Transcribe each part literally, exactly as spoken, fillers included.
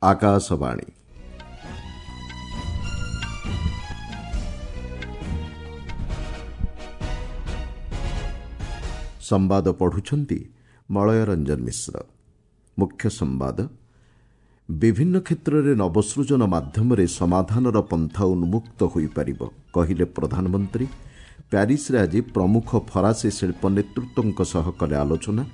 ଆକାଶବାଣୀ ସମ୍ବାଦ ପଢୁଛନ୍ତି ମଳୟ ରଞ୍ଜନ ମିଶ୍ର। ମୁଖ୍ୟ ସମ୍ବାଦ। ବିଭିନ୍ନ କ୍ଷେତ୍ରରେ ନବସୃଜନ ମାଧ୍ୟମରେ ସମାଧାନର ପନ୍ଥା ଉନ୍ମୁକ୍ତ ହୋଇପାରିବ, କହିଲେ ପ୍ରଧାନମନ୍ତ୍ରୀ। ପ୍ୟାରିସରେ ଆଜି ପ୍ରମୁଖ ଫରାସୀ ଶିଳ୍ପ ନେତୃତ୍ୱଙ୍କ ସହ କଲେ ଆଲୋଚନା।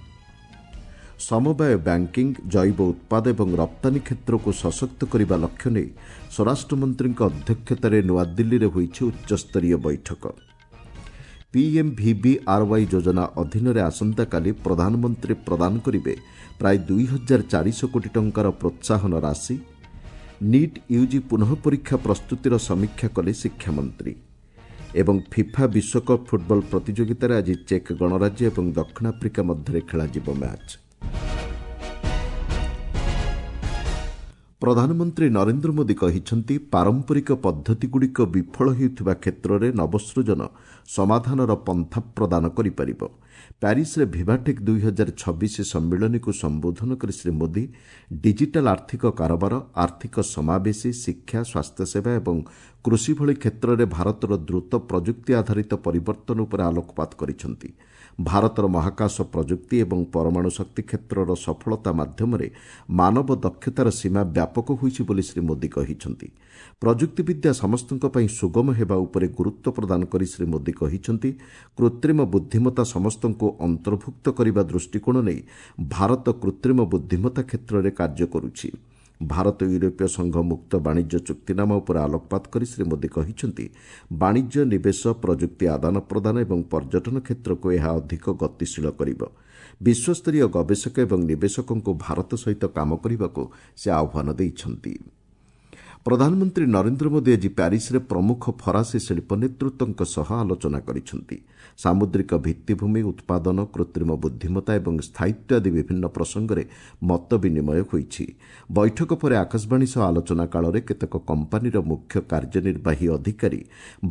ସମବାୟ ବ୍ୟାଙ୍କିଂ, ଜୈବ ଉତ୍ପାଦ ଏବଂ ରପ୍ତାନୀ କ୍ଷେତ୍ରକୁ ସଶକ୍ତ କରିବା ଲକ୍ଷ୍ୟ ନେଇ ସ୍ୱରାଷ୍ଟ୍ରମନ୍ତ୍ରୀଙ୍କ ଅଧ୍ୟକ୍ଷତାରେ ନୂଆଦିଲ୍ଲୀରେ ହୋଇଛି ଉଚ୍ଚସ୍ତରୀୟ ବୈଠକ। ପିଏମ୍ଭିବିଆର୍ୱାଇ ଯୋଜନା ଅଧୀନରେ ଆସନ୍ତାକାଲି ପ୍ରଧାନମନ୍ତ୍ରୀ ପ୍ରଦାନ କରିବେ ପ୍ରାୟ ଦୁଇ ହଜାର ଚାରିଶହ କୋଟି ଟଙ୍କାର ପ୍ରୋତ୍ସାହନ ରାଶି। ନିଟ୍ ୟୁଜି ପୁନଃ ପରୀକ୍ଷା ପ୍ରସ୍ତୁତିର ସମୀକ୍ଷା କଲେ ଶିକ୍ଷାମନ୍ତ୍ରୀ। ଏବଂ ଫିଫା ବିଶ୍ୱକପ୍ ଫୁଟବଲ ପ୍ରତିଯୋଗିତାରେ ଆଜି ଚେକ୍ ଗଣରାଜ୍ୟ ଏବଂ ଦକ୍ଷିଣ ଆଫ୍ରିକା ମଧ୍ୟରେ ଖେଳାଯିବ ମ୍ୟାଚ୍। ପ୍ରଧାନମନ୍ତ୍ରୀ ନରେନ୍ଦ୍ର ମୋଦି କହିଛନ୍ତି, ପାରମ୍ପରିକ ପଦ୍ଧତିଗୁଡ଼ିକ ବିଫଳ ହେଉଥିବା କ୍ଷେତ୍ରରେ ନବସୃଜନ ସମାଧାନର ପନ୍ଥା ପ୍ରଦାନ କରିପାରିବ। ପ୍ୟାରିସରେ ଭିଭାଟେକ୍ ଦୁଇ ହଜାର ଛବିଶ ସମ୍ମିଳନୀକୁ ସମ୍ବୋଧନ କରି ଶ୍ରୀ ମୋଦି ଡିଜିଟାଲ ଆର୍ଥିକ କାରବାର, ଆର୍ଥିକ ସମାବେଶୀ, ଶିକ୍ଷା, ସ୍ୱାସ୍ଥ୍ୟସେବା ଏବଂ କୃଷି ଭଳି କ୍ଷେତ୍ରରେ ଭାରତର ଦ୍ରୁତ ପ୍ରଯୁକ୍ତି ଆଧାରିତ ପରିବର୍ତ୍ତନ ଉପରେ ଆଲୋକପାତ କରିଛନ୍ତି। ଭାରତର ମହାକାଶ ପ୍ରଯୁକ୍ତି ଏବଂ ପରମାଣୁ ଶକ୍ତି କ୍ଷେତ୍ରର ସଫଳତା ମାଧ୍ୟମରେ ମାନବ ଦକ୍ଷତାର ସୀମା ବ୍ୟାପକ ହୋଇଛି ବୋଲି ଶ୍ରୀ ମୋଦି କହିଛନ୍ତି। ପ୍ରଯୁକ୍ତିବିଦ୍ୟା ସମସ୍ତଙ୍କ ପାଇଁ ସୁଗମ ହେବା ଉପରେ ଗୁରୁତ୍ୱ ପ୍ରଦାନ କରି ଶ୍ରୀ ମୋଦି କହିଛନ୍ତି, କୃତ୍ରିମ ବୁଦ୍ଧିମତ୍ତା ସମସ୍ତଙ୍କୁ ଅନ୍ତର୍ଭୁକ୍ତ କରିବା ଦୃଷ୍ଟିକୋଣ ନେଇ ଭାରତ କୃତ୍ରିମ ବୁଦ୍ଧିମତ୍ତା କ୍ଷେତ୍ରରେ କାର୍ଯ୍ୟ କରୁଛି। ଭାରତ ୟୁରୋପୀୟ ସଂଘ ମୁକ୍ତ ବାଣିଜ୍ୟ ଚୁକ୍ତିନାମା ଉପରେ ଆଲୋକପାତ କରି ଶ୍ରୀ ମୋଦି କହିଛନ୍ତି, ବାଣିଜ୍ୟ, ନିବେଶ, ପ୍ରଯୁକ୍ତି ଆଦାନ ପ୍ରଦାନ ଏବଂ ପର୍ଯ୍ୟଟନ କ୍ଷେତ୍ରକୁ ଏହା ଅଧିକ ଗତିଶୀଳ କରିବ। ବିଶ୍ୱସ୍ତରୀୟ ଗବେଷକ ଏବଂ ନିବେଶକଙ୍କୁ ଭାରତ ସହିତ କାମ କରିବାକୁ ସେ ଆହ୍ୱାନ ଦେଇଛନ୍ତି। ପ୍ରଧାନମନ୍ତ୍ରୀ ନରେନ୍ଦ୍ର ମୋଦି ଆଜି ପ୍ୟାରିସରେ ପ୍ରମୁଖ ଫରାସୀ ଶିଳ୍ପ ନେତୃତ୍ୱଙ୍କ ସହ ଆଲୋଚନା କରିଛନ୍ତି। ସାମୁଦ୍ରିକ ଭିତ୍ତିଭୂମି, ଉତ୍ପାଦନ, କୃତ୍ରିମ ବୁଦ୍ଧିମତ୍ତା ଏବଂ ସ୍ଥାୟିତ୍ୱ ଆଦି ବିଭିନ୍ନ ପ୍ରସଙ୍ଗରେ ମତ ବିନିମୟ ହୋଇଛି। ବୈଠକ ପରେ ଆକାଶବାଣୀ ସହ ଆଲୋଚନା କାଳରେ କେତେକ କମ୍ପାନୀର ମୁଖ୍ୟ କାର୍ଯ୍ୟନିର୍ବାହୀ ଅଧିକାରୀ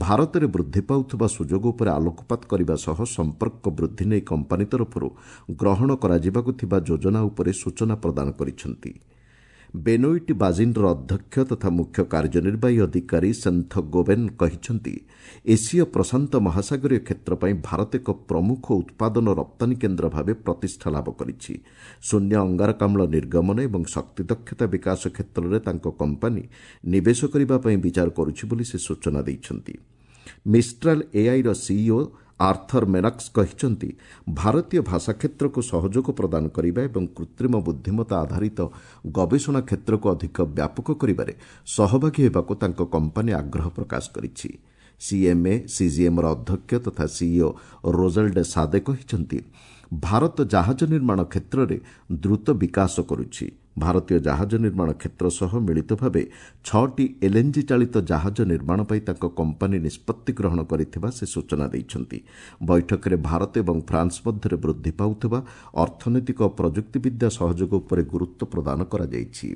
ଭାରତରେ ବୃଦ୍ଧି ପାଉଥିବା ସୁଯୋଗ ଉପରେ ଆଲୋକପାତ କରିବା ସହ ସମ୍ପର୍କ ବୃଦ୍ଧି ନେଇ କମ୍ପାନୀ ତରଫରୁ ଗ୍ରହଣ କରାଯିବାକୁ ଥିବା ଯୋଜନା ଉପରେ ସୂଚନା ପ୍ରଦାନ କରିଛନ୍ତି। ବେନୋଇଟ୍ ବାଜିନ୍ର ଅଧ୍ୟକ୍ଷ ତଥା ମୁଖ୍ୟ କାର୍ଯ୍ୟନିର୍ବାହୀ ଅଧିକାରୀ ସେନ୍ଥ ଗୋବେନ୍ କହିଛନ୍ତି, ଏସୀୟ ପ୍ରଶାନ୍ତ ମହାସାଗରୀୟ କ୍ଷେତ୍ର ପାଇଁ ଭାରତ ଏକ ପ୍ରମୁଖ ଉତ୍ପାଦନ ରପ୍ତାନୀ କେନ୍ଦ୍ର ଭାବେ ପ୍ରତିଷ୍ଠା ଲାଭ କରିଛି। ଶୂନ୍ୟ ଅଙ୍ଗାରକାମ୍ଳ ନିର୍ଗମନ ଏବଂ ଶକ୍ତି ଦକ୍ଷତା ବିକାଶ କ୍ଷେତ୍ରରେ ତାଙ୍କ କମ୍ପାନୀ ନିବେଶ କରିବା ପାଇଁ ବିଚାର କରୁଛି ବୋଲି ସେ ସୂଚନା ଦେଇଛନ୍ତି। ମିଷ୍ଟ୍ରାଲ୍ ଏଆଇର ସିଇଓ ଆର୍ଥର ମେନକ୍ସ କହିଛନ୍ତି, ଭାରତୀୟ ଭାଷା କ୍ଷେତ୍ରକୁ ସହଯୋଗ ପ୍ରଦାନ କରିବା ଏବଂ କୃତ୍ରିମ ବୁଦ୍ଧିମତ୍ତା ଆଧାରିତ ଗବେଷଣା କ୍ଷେତ୍ରକୁ ଅଧିକ ବ୍ୟାପକ କରିବାରେ ସହଭାଗୀ ହେବାକୁ ତାଙ୍କ କମ୍ପାନୀ ଆଗ୍ରହ ପ୍ରକାଶ କରିଛି। ସିଏମ୍ଏ ସିଜିଏମ୍ର ଅଧ୍ୟକ୍ଷ ତଥା ସିଇଓ ରୋଜାଲ୍ଡ ସାଦେ କହିଛନ୍ତି, ଭାରତ ଜାହାଜ ନିର୍ମାଣ କ୍ଷେତ୍ରରେ ଦ୍ରୁତ ବିକାଶ କରୁଛି। ଭାରତୀୟ ଜାହାଜ ନିର୍ମାଣ କ୍ଷେତ୍ର ସହ ମିଳିତ ଭାବେ ଛଅଟି ଏଲ୍ଏନ୍ଜି ଚାଳିତ ଜାହାଜ ନିର୍ମାଣ ପାଇଁ ତାଙ୍କ କମ୍ପାନୀ ନିଷ୍ପତ୍ତି ଗ୍ରହଣ କରିଥିବା ସେ ସୂଚନା ଦେଇଛନ୍ତି। ବୈଠକରେ ଭାରତ ଏବଂ ଫ୍ରାନ୍ସ ମଧ୍ୟରେ ବୃଦ୍ଧି ପାଉଥିବା ଅର୍ଥନୈତିକ ଓ ପ୍ରଯୁକ୍ତିବିଦ୍ୟା ସହଯୋଗ ଉପରେ ଗୁରୁତ୍ୱ ପ୍ରଦାନ କରାଯାଇଛି।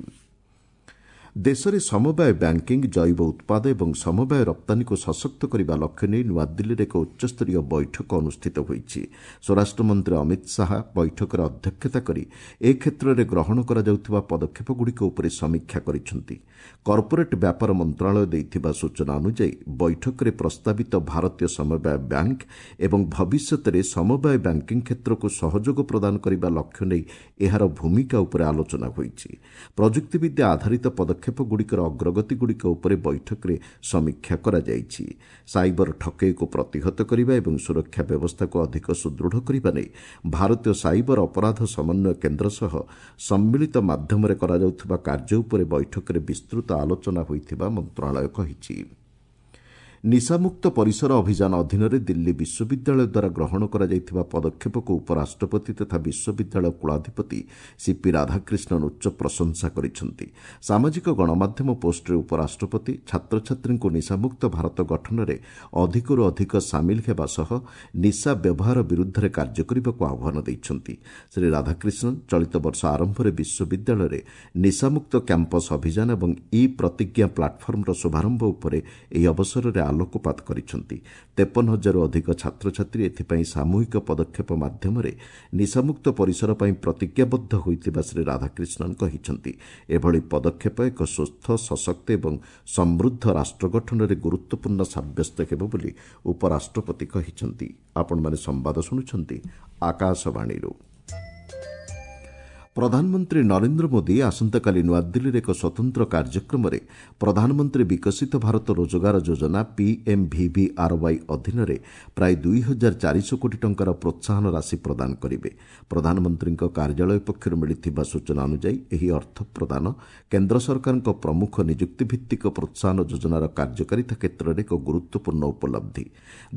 ଦେଶରେ ସମବାୟ ବ୍ୟାଙ୍କିଂ, ଜୈବ ଉତ୍ପାଦ ଏବଂ ସମବାୟ ରପ୍ତାନୀକୁ ସଶକ୍ତ କରିବା ଲକ୍ଷ୍ୟ ନେଇ ନୂଆଦିଲ୍ଲୀରେ ଏକ ଉଚ୍ଚସ୍ତରୀୟ ବୈଠକ ଅନୁଷ୍ଠିତ ହୋଇଛି। ସ୍ୱରାଷ୍ଟ୍ରମନ୍ତ୍ରୀ ଅମିତ ଶାହା ବୈଠକରେ ଅଧ୍ୟକ୍ଷତା କରି ଏ କ୍ଷେତ୍ରରେ ଗ୍ରହଣ କରାଯାଉଥିବା ପଦକ୍ଷେପଗୁଡ଼ିକ ଉପରେ ସମୀକ୍ଷା କରିଛନ୍ତି। କର୍ପୋରେଟ୍ ବ୍ୟାପାର ମନ୍ତ୍ରଣାଳୟ ଦେଇଥିବା ସୂଚନା ଅନୁଯାୟୀ ବୈଠକରେ ପ୍ରସ୍ତାବିତ ଭାରତୀୟ ସମବାୟ ବ୍ୟାଙ୍କ ଏବଂ ଭବିଷ୍ୟତରେ ସମବାୟ ବ୍ୟାଙ୍କିଂ କ୍ଷେତ୍ରକୁ ସହଯୋଗ ପ୍ରଦାନ କରିବା ଲକ୍ଷ୍ୟ ନେଇ ଏହାର ଭୂମିକା ଉପରେ ଆଲୋଚନା ହୋଇଛି। ପ୍ରଯୁକ୍ତିବିଦ୍ୟା ଆଧାରିତ ପଦକ୍ଷେପ ପଦକ୍ଷେପଗୁଡ଼ିକର ଅଗ୍ରଗତିଗୁଡ଼ିକ ଉପରେ ବୈଠକରେ ସମୀକ୍ଷା କରାଯାଇଛି। ସାଇବର ଠକେଇକୁ ପ୍ରତିହତ କରିବା ଏବଂ ସୁରକ୍ଷା ବ୍ୟବସ୍ଥାକୁ ଅଧିକ ସୁଦୃଢ଼ କରିବା ନେଇ ଭାରତୀୟ ସାଇବର ଅପରାଧ ସମନ୍ୱୟ କେନ୍ଦ୍ର ସହ ସମ୍ମିଳିତ ମାଧ୍ୟମରେ କରାଯାଉଥିବା କାର୍ଯ୍ୟ ଉପରେ ବୈଠକରେ ବିସ୍ତୃତ ଆଲୋଚନା ହୋଇଥିବା ମନ୍ତ୍ରଣାଳୟ କହିଛି। ନିଶାମୁକ୍ତ ପରିସର ଅଭିଯାନ ଅଧୀନରେ ଦିଲ୍ଲୀ ବିଶ୍ୱବିଦ୍ୟାଳୟ ଦ୍ୱାରା ଗ୍ରହଣ କରାଯାଇଥିବା ପଦକ୍ଷେପକୁ ଉପରାଷ୍ଟ୍ରପତି ତଥା ବିଶ୍ୱବିଦ୍ୟାଳୟ କୁଳାଧିପତି ସିପି ରାଧାକ୍ରିଷ୍ଣନ୍ ଉଚ୍ଚ ପ୍ରଶଂସା କରିଛନ୍ତି। ସାମାଜିକ ଗଣମାଧ୍ୟମ ପୋଷ୍ଟରେ ଉପରାଷ୍ଟ୍ରପତି ଛାତ୍ରଛାତ୍ରୀଙ୍କୁ ନିଶାମୁକ୍ତ ଭାରତ ଗଠନରେ ଅଧିକରୁ ଅଧିକ ସାମିଲ ହେବା ସହ ନିଶା ବ୍ୟବହାର ବିରୁଦ୍ଧରେ କାର୍ଯ୍ୟ କରିବାକୁ ଆହ୍ୱାନ ଦେଇଛନ୍ତି। ଶ୍ରୀ ରାଧାକ୍ରିଷ୍ଣନ୍ ଚଳିତ ବର୍ଷ ଆରମ୍ଭରେ ବିଶ୍ୱବିଦ୍ୟାଳୟରେ ନିଶାମୁକ୍ତ କ୍ୟାମ୍ପସ୍ ଅଭିଯାନ ଏବଂ ଇ ପ୍ରତିଜ୍ଞା ପ୍ଲାଟଫର୍ମର ଶୁଭାରମ୍ଭ ଉପରେ ଏହି ଅବସରରେ ଆଲୋକପାତ କରିଛନ୍ତି। ତେପନ ହଜାରରୁ ଅଧିକ ଛାତ୍ରଛାତ୍ରୀ ଏଥିପାଇଁ ସାମୂହିକ ପଦକ୍ଷେପ ମାଧ୍ୟମରେ ନିଶାମୁକ୍ତ ପରିସର ପାଇଁ ପ୍ରତିଜ୍ଞାବଦ୍ଧ ହୋଇଥିବା ଶ୍ରୀ ରାଧାକ୍ରିଷ୍ଣନ୍ କହିଛନ୍ତି। ଏଭଳି ପଦକ୍ଷେପ ଏକ ସୁସ୍ଥ, ସଶକ୍ତ ଏବଂ ସମୃଦ୍ଧ ରାଷ୍ଟ୍ର ଗଠନରେ ଗୁରୁତ୍ୱପୂର୍ଣ୍ଣ ସାବ୍ୟସ୍ତ ହେବ ବୋଲି ଉପରାଷ୍ଟ୍ରପତି କହିଛନ୍ତି। ଆପଣମାନେ ସମ୍ବାଦ ଶୁଣୁଛନ୍ତି ଆକାଶବାଣୀରୁ। ପ୍ରଧାନମନ୍ତ୍ରୀ ନରେନ୍ଦ୍ର ମୋଦି ଆସନ୍ତାକାଲି ନୂଆଦିଲ୍ଲୀରେ ଏକ ସ୍ୱତନ୍ତ୍ର କାର୍ଯ୍ୟକ୍ରମରେ ପ୍ରଧାନମନ୍ତ୍ରୀ ବିକଶିତ ଭାରତ ରୋଜଗାର ଯୋଜନା ପିଏମ୍ଭିଭିଆର୍ୱାଇ ଅଧୀନରେ ପ୍ରାୟ ଦୁଇ ହଜାର ଚାରିଶହ କୋଟି ଟଙ୍କାର ପ୍ରୋତ୍ସାହନ ରାଶି ପ୍ରଦାନ କରିବେ। ପ୍ରଧାନମନ୍ତ୍ରୀଙ୍କ କାର୍ଯ୍ୟାଳୟ ପକ୍ଷରୁ ମିଳିଥିବା ସୂଚନା ଅନୁଯାୟୀ ଏହି ଅର୍ଥ ପ୍ରଦାନ କେନ୍ଦ୍ର ସରକାରଙ୍କ ପ୍ରମୁଖ ନିଯୁକ୍ତିଭିତ୍ତିକ ପ୍ରୋତ୍ସାହନ ଯୋଜନାର କାର୍ଯ୍ୟକାରିତା କ୍ଷେତ୍ରରେ ଏକ ଗୁରୁତ୍ୱପୂର୍ଣ୍ଣ ଉପଲବ୍ଧି।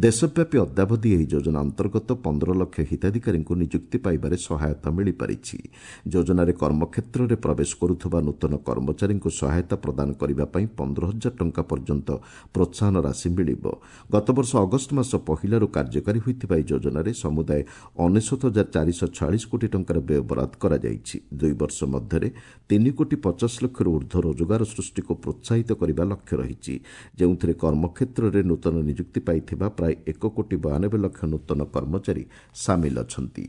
ଦେଶବ୍ୟାପୀ ଅଦ୍ୟାବଧି ଏହି ଯୋଜନା ଅନ୍ତର୍ଗତ ପନ୍ଦର ଲକ୍ଷ ହିତାଧିକାରୀଙ୍କୁ ନିଯୁକ୍ତି ପାଇବାରେ ସହାୟତା ମିଳିପାରିଛି। ଯୋଜନାରେ କର୍ମକ୍ଷେତ୍ରରେ ପ୍ରବେଶ କରୁଥିବା ନୂତନ କର୍ମଚାରୀଙ୍କୁ ସହାୟତା ପ୍ରଦାନ କରିବା ପାଇଁ ପନ୍ଦର ହଜାର ଟଙ୍କା ପର୍ଯ୍ୟନ୍ତ ପ୍ରୋତ୍ସାହନ ରାଶି ମିଳିବ। ଗତବର୍ଷ ଅଗଷ୍ଟ ମାସ ପହିଲାରୁ କାର୍ଯ୍ୟକାରୀ ହୋଇଥିବା ଏହି ଯୋଜନାରେ ସମୁଦାୟ ଅନେଶ୍ୱତ ହଜାର ଚାରିଶହ ଛୟାଳିଶ କୋଟି ଟଙ୍କାର ବ୍ୟୟବରାଦ କରାଯାଇଛି। ଦୁଇ ବର୍ଷ ମଧ୍ୟରେ ତିନି କୋଟି ପଚାଶ ଲକ୍ଷରୁ ଉର୍ଦ୍ଧ୍ୱ ରୋଜଗାର ସୃଷ୍ଟିକୁ ପ୍ରୋତ୍ସାହିତ କରିବା ଲକ୍ଷ୍ୟ ରହିଛି, ଯେଉଁଥିରେ କର୍ମକ୍ଷେତ୍ରରେ ନୂତନ ନିଯୁକ୍ତି ପାଇଥିବା ପ୍ରାୟ ଏକ କୋଟି ବୟାନବେ ଲକ୍ଷ ନୂତନ କର୍ମଚାରୀ ସାମିଲ ଅଛନ୍ତି।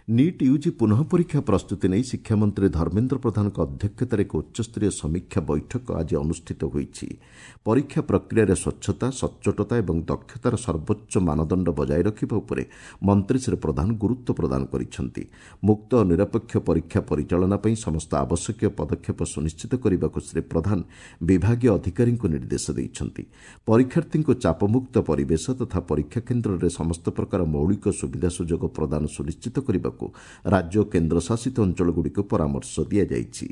ନିଟ୍ ୟୁଜି ପୁନଃ ପରୀକ୍ଷା ପ୍ରସ୍ତୁତି ନେଇ ଶିକ୍ଷାମନ୍ତ୍ରୀ ଧର୍ମେନ୍ଦ୍ର ପ୍ରଧାନଙ୍କ ଅଧ୍ୟକ୍ଷତାରେ ଏକ ଉଚ୍ଚସ୍ତରୀୟ ସମୀକ୍ଷା ବୈଠକ ଆଜି ଅନୁଷ୍ଠିତ ହୋଇଛି। ପରୀକ୍ଷା ପ୍ରକ୍ରିୟାରେ ସ୍ୱଚ୍ଛତା, ସଚ୍ଚୋଟତା ଏବଂ ଦକ୍ଷତାର ସର୍ବୋଚ୍ଚ ମାନଦଣ୍ଡ ବଜାୟ ରଖିବା ଉପରେ ମନ୍ତ୍ରୀ ଶ୍ରୀ ପ୍ରଧାନ ଗୁରୁତ୍ୱ ପ୍ରଦାନ କରିଛନ୍ତି। ମୁକ୍ତ ଓ ନିରପେକ୍ଷ ପରୀକ୍ଷା ପରିଚାଳନା ପାଇଁ ସମସ୍ତ ଆବଶ୍ୟକୀୟ ପଦକ୍ଷେପ ସୁନିଶ୍ଚିତ କରିବାକୁ ଶ୍ରୀ ପ୍ରଧାନ ବିଭାଗୀୟ ଅଧିକାରୀଙ୍କୁ ନିର୍ଦ୍ଦେଶ ଦେଇଛନ୍ତି। ପରୀକ୍ଷାର୍ଥୀଙ୍କୁ ଚାପମୁକ୍ତ ପରିବେଶ ତଥା ପରୀକ୍ଷା କେନ୍ଦ୍ରରେ ସମସ୍ତ ପ୍ରକାର ମୌଳିକ ସୁବିଧା ସୁଯୋଗ ପ୍ରଦାନ ସୁନିଶ୍ଚିତ କରିବାକୁ ରାଜ୍ୟ ଓ କେନ୍ଦ୍ରଶାସିତ ଅଞ୍ଚଳଗୁଡ଼ିକୁ ପରାମର୍ଶ ଦିଆଯାଇଛି।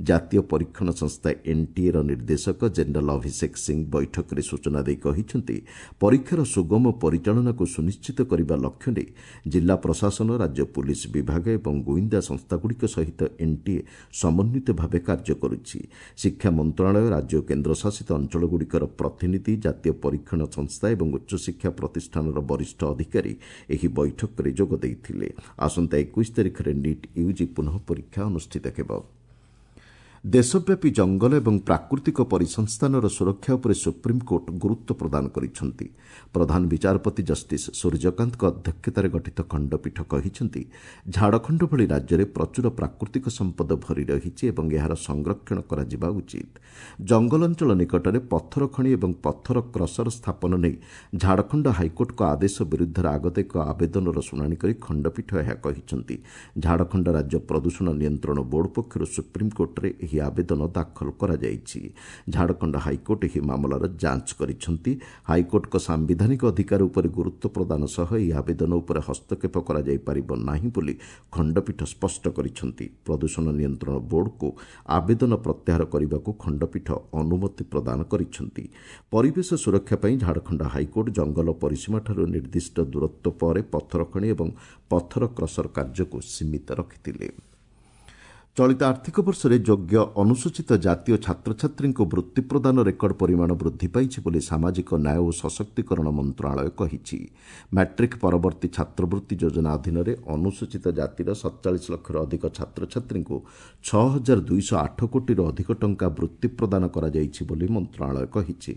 ଜାତୀୟ ପରୀକ୍ଷଣ ସଂସ୍ଥା ଏନ୍ଟିଏର ନିର୍ଦ୍ଦେଶକ ଜେନେରାଲ ଅଭିଷେକ ସିଂ ବୈଠକରେ ସୂଚନା ଦେଇ କହିଛନ୍ତି, ପରୀକ୍ଷାର ସୁଗମ ପରିଚାଳନାକୁ ସୁନିଶ୍ଚିତ କରିବା ଲକ୍ଷ୍ୟ ନେଇ ଜିଲ୍ଲା ପ୍ରଶାସନ, ରାଜ୍ୟ ପୁଲିସ୍ ବିଭାଗ ଏବଂ ଗୁଇନ୍ଦା ସଂସ୍ଥାଗୁଡ଼ିକ ସହିତ ଏନ୍ଟିଏ ସମନ୍ୱିତ ଭାବେ କାର୍ଯ୍ୟ କରୁଛି। ଶିକ୍ଷା ମନ୍ତ୍ରଣାଳୟ, ରାଜ୍ୟ ଓ କେନ୍ଦ୍ରଶାସିତ ଅଞ୍ଚଳଗୁଡ଼ିକର ପ୍ରତିନିଧି, ଜାତୀୟ ପରୀକ୍ଷଣ ସଂସ୍ଥା ଏବଂ ଉଚ୍ଚଶିକ୍ଷା ପ୍ରତିଷ୍ଠାନର ବରିଷ୍ଠ ଅଧିକାରୀ ଏହି ବୈଠକରେ ଯୋଗ ଦେଇଥିଲେ। ଆସନ୍ତା ଏକୋଇଶ ତାରିଖରେ ନିଟ୍ ୟୁଜି ପୁନଃ ପରୀକ୍ଷା ଅନୁଷ୍ଠିତ ହେବ। ଦେଶବ୍ୟାପୀ ଜଙ୍ଗଲ ଏବଂ ପ୍ରାକୃତିକ ପରିସଂସ୍ଥାନର ସୁରକ୍ଷା ଉପରେ ସୁପ୍ରିମକୋର୍ଟ ଗୁରୁତ୍ୱ ପ୍ରଦାନ କରିଛନ୍ତି। ପ୍ରଧାନ ବିଚାରପତି ଜଷ୍ଟିସ୍ ସୂର୍ଯ୍ୟକାନ୍ତଙ୍କ ଅଧ୍ୟକ୍ଷତାରେ ଗଠିତ ଖଣ୍ଡପୀଠ କହିଛନ୍ତି, ଝାଡ଼ଖଣ୍ଡ ଭଳି ରାଜ୍ୟରେ ପ୍ରଚୁର ପ୍ରାକୃତିକ ସମ୍ପଦ ଭରି ରହିଛି ଏବଂ ଏହାର ସଂରକ୍ଷଣ କରାଯିବା ଉଚିତ। ଜଙ୍ଗଲ ଅଞ୍ଚଳ ନିକଟରେ ପଥର ଖଣି ଏବଂ ପଥର କ୍ରସର ସ୍ଥାପନ ନେଇ ଝାଡ଼ଖଣ୍ଡ ହାଇକୋର୍ଟଙ୍କ ଆଦେଶ ବିରୁଦ୍ଧରେ ଆଗତ ଏକ ଆବେଦନର ଶୁଣାଣି କରି ଖଣ୍ଡପୀଠ ଏହା କହିଛନ୍ତି। ଝାଡ଼ଖଣ୍ଡ ରାଜ୍ୟ ପ୍ରଦୂଷଣ ନିୟନ୍ତ୍ରଣ ବୋର୍ଡ ପକ୍ଷରୁ ସୁପ୍ରିମକୋର୍ଟରେ ଏହି ଆବେଦନ ଦାଖଲ କରାଯାଇଛି। ଝାଡ଼ଖଣ୍ଡ ହାଇକୋର୍ଟ ଏହି ମାମଲାର ଯାଞ୍ଚ କରିଛନ୍ତି। ହାଇକୋର୍ଟଙ୍କ ସାମ୍ବିଧାନିକ ଅଧିକାର ଉପରେ ଗୁରୁତ୍ୱ ପ୍ରଦାନ ସହ ଏହି ଆବେଦନ ଉପରେ ହସ୍ତକ୍ଷେପ କରାଯାଇପାରିବ ନାହିଁ ବୋଲି ଖଣ୍ଡପୀଠ ସ୍ପଷ୍ଟ କରିଛନ୍ତି। ପ୍ରଦୂଷଣ ନିୟନ୍ତ୍ରଣ ବୋର୍ଡକୁ ଆବେଦନ ପ୍ରତ୍ୟାହାର କରିବାକୁ ଖଣ୍ଡପୀଠ ଅନୁମତି ପ୍ରଦାନ କରିଛନ୍ତି। ପରିବେଶ ସୁରକ୍ଷା ପାଇଁ ଝାଡ଼ଖଣ୍ଡ ହାଇକୋର୍ଟ ଜଙ୍ଗଲ ପରିସୀମାଠାରୁ ନିର୍ଦ୍ଦିଷ୍ଟ ଦୂରତ୍ୱ ପରେ ପଥର ଖଣି ଏବଂ ପଥର କ୍ରସର କାର୍ଯ୍ୟକୁ ସୀମିତ ରଖିଥିଲେ। ଚଳିତ ଆର୍ଥିକ ବର୍ଷରେ ଯୋଗ୍ୟ ଅନୁସୂଚିତ ଜାତୀୟ ଛାତ୍ରଛାତ୍ରୀଙ୍କୁ ବୃତ୍ତି ପ୍ରଦାନ ରେକର୍ଡ ପରିମାଣ ବୃଦ୍ଧି ପାଇଛି ବୋଲି ସାମାଜିକ ନ୍ୟାୟ ଓ ସଶକ୍ତିକରଣ ମନ୍ତ୍ରଣାଳୟ କହିଛି। ମାଟ୍ରିକ୍ ପରବର୍ତ୍ତୀ ଛାତ୍ରବୃତ୍ତି ଯୋଜନା ଅଧୀନରେ ଅନୁସୂଚିତ ଜାତିର ସତଚାଳିଶ ଲକ୍ଷରୁ ଅଧିକ ଛାତ୍ରଛାତ୍ରୀଙ୍କୁ ଛଅ ହଜାର ଦୁଇଶହ ଆଠ କୋଟିରୁ ଅଧିକ ଟଙ୍କା ବୃତ୍ତି ପ୍ରଦାନ କରାଯାଇଛି ବୋଲି ମନ୍ତ୍ରଣାଳୟ କହିଛି।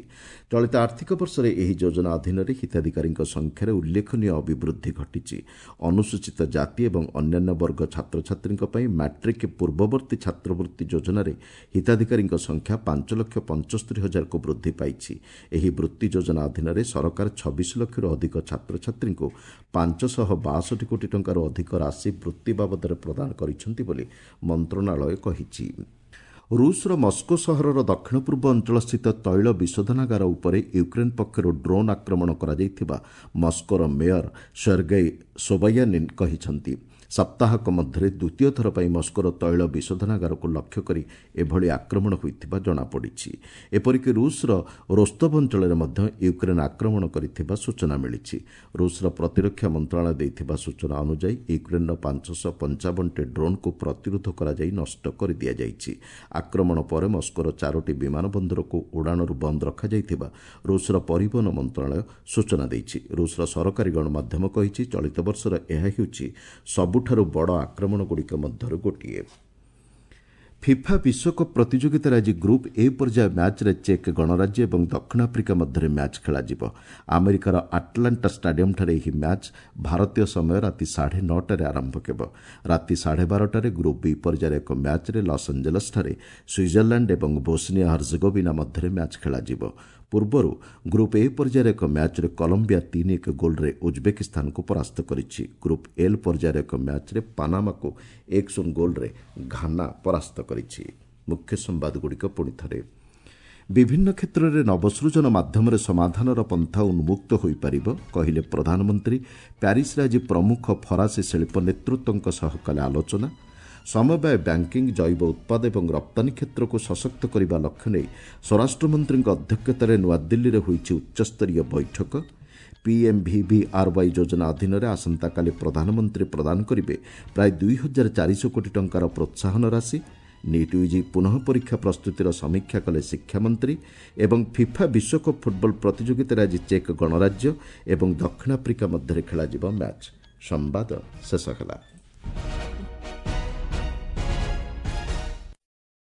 ଚଳିତ ଆର୍ଥିକ ବର୍ଷରେ ଏହି ଯୋଜନା ଅଧୀନରେ ହିତାଧିକାରୀଙ୍କ ସଂଖ୍ୟାରେ ଉଲ୍ଲେଖନୀୟ ଅଭିବୃଦ୍ଧି ଘଟିଛି। ଅନୁସୂଚିତ ଜାତି ଏବଂ ଅନ୍ୟାନ୍ୟ ବର୍ଗ ଛାତ୍ରଛାତ୍ରୀଙ୍କ ପାଇଁ ମାଟ୍ରିକ୍ ପୂର୍ବବର୍ତ୍ତୀ ଛାତ୍ରବୃତ୍ତି ଯୋଜନାରେ ହିତାଧିକାରୀଙ୍କ ସଂଖ୍ୟା ପାଞ୍ଚ ଲକ୍ଷ ପଞ୍ଚସ୍ତରୀ ହଜାରକୁ ବୃଦ୍ଧି ପାଇଛି। ଏହି ବୃତ୍ତି ଯୋଜନା ଅଧୀନରେ ସରକାର ଛବିଶ ଲକ୍ଷରୁ ଅଧିକ ଛାତ୍ରଛାତ୍ରୀଙ୍କୁ ପାଞ୍ଚଶହ ବାଷଠି କୋଟି ଟଙ୍କାରୁ ଅଧିକ ରାଶି ବୃତ୍ତି ବାବଦରେ ପ୍ରଦାନ କରିଛନ୍ତି ବୋଲି ମନ୍ତ୍ରଣାଳୟ କହିଛି। ରୁଷର ମସ୍କୋ ସହରର ଦକ୍ଷିଣ ପୂର୍ବ ଅଞ୍ଚଳସ୍ଥିତ ତୈଳ ବିଶୋଧନାଗାର ଉପରେ ୟୁକ୍ରେନ୍ ପକ୍ଷରୁ ଡ୍ରୋନ୍ ଆକ୍ରମଣ କରାଯାଇଥିବା ମସ୍କୋର ମେୟର ସେର୍ଗେଇ ସୋବାୟାନିନ୍ କହିଛନ୍ତି। ସପ୍ତାହକ ମଧ୍ୟରେ ଦ୍ୱିତୀୟ ଥର ପାଇଁ ମସ୍କୋର ତୈଳ ବିଶୋଧନାଗାରକୁ ଲକ୍ଷ୍ୟ କରି ଏଭଳି ଆକ୍ରମଣ ହୋଇଥିବା ଜଣାପଡ଼ିଛି। ଏପରିକି ରୁଷର ରୋସ୍ତୋଭ ଅଞ୍ଚଳରେ ମଧ୍ୟ ୟୁକ୍ରେନ୍ ଆକ୍ରମଣ କରିଥିବା ସୂଚନା ମିଳିଛି। ରୁଷର ପ୍ରତିରକ୍ଷା ମନ୍ତ୍ରଣାଳୟ ଦେଇଥିବା ସୂଚନା ଅନୁଯାୟୀ ୟୁକ୍ରେନ୍ର ପାଞ୍ଚଶହ ପଞ୍ଚାବନଟି ଡ୍ରୋନ୍କୁ ପ୍ରତିରୋଧ କରାଯାଇ ନଷ୍ଟ କରିଦିଆଯାଇଛି। ଆକ୍ରମଣ ପରେ ମସ୍କୋର ଚାରୋଟି ବିମାନ ବନ୍ଦରକୁ ଉଡ଼ାଣରୁ ବନ୍ଦ ରଖାଯାଇଥିବା ରୁଷର ପରିବହନ ମନ୍ତ୍ରଣାଳୟ ସୂଚନା ଦେଇଛି। ରୁଷର ସରକାରୀ ଗଣମାଧ୍ୟମ କହିଛି, ଚଳିତ ବର୍ଷର ଏହା ହେଉଛି ସବୁଠାରୁ ବଡ଼ ଆକ୍ରମଣଗୁଡ଼ିକ ମଧ୍ୟରୁ ଗୋଟିଏ। ଫିଫା ବିଶ୍ୱକପ୍ ପ୍ରତିଯୋଗିତାରେ ଆଜି ଗ୍ରୁପ୍ ଏ ପର୍ଯ୍ୟାୟ ମ୍ୟାଚ୍ରେ ଚେକ୍ ଗଣରାଜ୍ୟ ଏବଂ ଦକ୍ଷିଣ ଆଫ୍ରିକା ମଧ୍ୟରେ ମ୍ୟାଚ୍ ଖେଳାଯିବ। ଆମେରିକାର ଆଟଲାଣ୍ଟା ଷ୍ଟାଡିୟମ୍ଠାରେ ଏହି ମ୍ୟାଚ୍ ଭାରତୀୟ ସମୟ ରାତି ସାଢ଼େ ନଅଟାରେ ଆରମ୍ଭ ହେବ। ରାତି ସାଢ଼େ ବାରଟାରେ ଗ୍ରୁପ୍ ବି ପର୍ଯ୍ୟାୟର ଏକ ମ୍ୟାଚ୍ରେ ଲସ୍ ଆଞ୍ଜେଲସ୍ଠାରେ ସୁଇଜରଲ୍ୟାଣ୍ଡ ଏବଂ ବୋସ୍ନିଆ ହର୍ଜଗୋଭିନା ମଧ୍ୟରେ ମ୍ୟାଚ୍ ଖେଳାଯିବ। ପୂର୍ବରୁ ଗ୍ରୁପ୍ ଏ ପର୍ଯ୍ୟାୟର ଏକ ମ୍ୟାଚ୍ରେ କଲମ୍ବିଆ ତିନି ଏକ ଗୋଲ୍ରେ ଉଜ୍ବେକିସ୍ତାନକୁ ପରାସ୍ତ କରିଛି। ଗ୍ରୁପ୍ ଏଲ୍ ପର୍ଯ୍ୟାୟର ଏକ ମ୍ୟାଚ୍ରେ ପାନାମାକୁ ଏକ ଶୂନ ଗୋଲ୍ରେ ଘାନା ପରାସ୍ତ କରିଛି। ମୁଖ୍ୟ ସମ୍ବାଦଗୁଡ଼ିକ ପୁଣି ଥରେ, ବିଭିନ୍ନ କ୍ଷେତ୍ରରେ ନବସୃଜନ ମାଧ୍ୟମରେ ସମାଧାନର ପନ୍ଥା ଉନ୍ମୁକ୍ତ ହୋଇପାରିବ, କହିଲେ ପ୍ରଧାନମନ୍ତ୍ରୀ। ପ୍ୟାରିସ୍ରେ ଆଜି ପ୍ରମୁଖ ଫରାସୀ ଶିଳ୍ପ ନେତୃତ୍ୱଙ୍କ ସହ କଲେ ଆଲୋଚନା। ସମବାୟ ବ୍ୟାଙ୍କିଂ, ଜୈବ ଉତ୍ପାଦ ଏବଂ ରପ୍ତାନୀ କ୍ଷେତ୍ରକୁ ସଶକ୍ତ କରିବା ଲକ୍ଷ୍ୟ ନେଇ ସ୍ୱରାଷ୍ଟ୍ରମନ୍ତ୍ରୀଙ୍କ ଅଧ୍ୟକ୍ଷତାରେ ନୂଆଦିଲ୍ଲୀରେ ହୋଇଛି ଉଚ୍ଚସ୍ତରୀୟ ବୈଠକ। ପିଏମ୍ଭିଭିଆର୍ୱାଇ ଯୋଜନା ଅଧୀନରେ ଆସନ୍ତାକାଲି ପ୍ରଧାନମନ୍ତ୍ରୀ ପ୍ରଦାନ କରିବେ ପ୍ରାୟ ଦୁଇ ହଜାର ଚାରିଶହ କୋଟି ଟଙ୍କାର ପ୍ରୋତ୍ସାହନ ରାଶି। ନିଟ୍ ୟୁଜି ପୁନଃ ପରୀକ୍ଷା ପ୍ରସ୍ତୁତିର ସମୀକ୍ଷା କଲେ ଶିକ୍ଷାମନ୍ତ୍ରୀ। ଏବଂ ଫିଫା ବିଶ୍ୱକପ୍ ଫୁଟବଲ ପ୍ରତିଯୋଗିତାରେ ଆଜି ଚେକ୍ ଗଣରାଜ୍ୟ ଏବଂ ଦକ୍ଷିଣ ଆଫ୍ରିକା ମଧ୍ୟରେ ଖେଳାଯିବ ମ୍ୟାଚ୍। ସମ୍ବାଦ ଶେଷ ହେଲା।